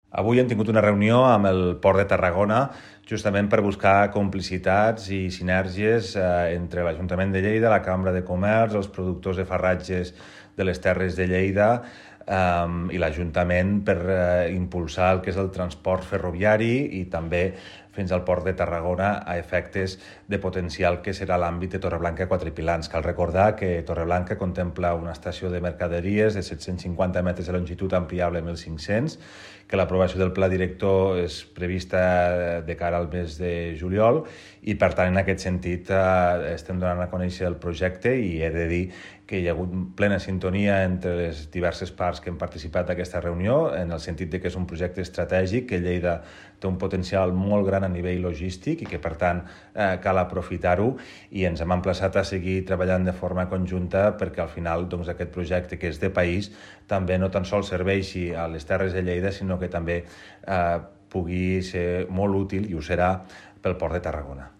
Avui hem tingut una reunió amb el Port de Tarragona justament per buscar complicitats i sinergies entre l'Ajuntament de Lleida, la Cambra de Comerç, els productors de farratges de les Terres de Lleida i l'Ajuntament per impulsar el que és el transport ferroviari i també fins al Port de Tarragona a efectes de potencial que serà l'àmbit de Torreblanca Quatre Pilans. Cal recordar que Torreblanca contempla una estació de mercaderies de 750 metres de longitud ampliable a 1.500, que l'aprovació del pla director és prevista de cara al mes de juliol i, per tant, en aquest sentit estem donant a conèixer el projecte i he de dir que hi ha hagut plena sintonia entre les diverses parts que han participat d'aquesta reunió, en el sentit de que és un projecte estratègic, que Lleida té un potencial molt gran a nivell logístic i que, per tant, cal aprofitar-ho i ens hem emplaçat a seguir treballant de forma conjunta perquè al final aquest projecte, que és de país, també no tan sols serveixi a les Terres de Lleida, sinó que també pugui ser molt útil, i ho serà, pel Port de Tarragona.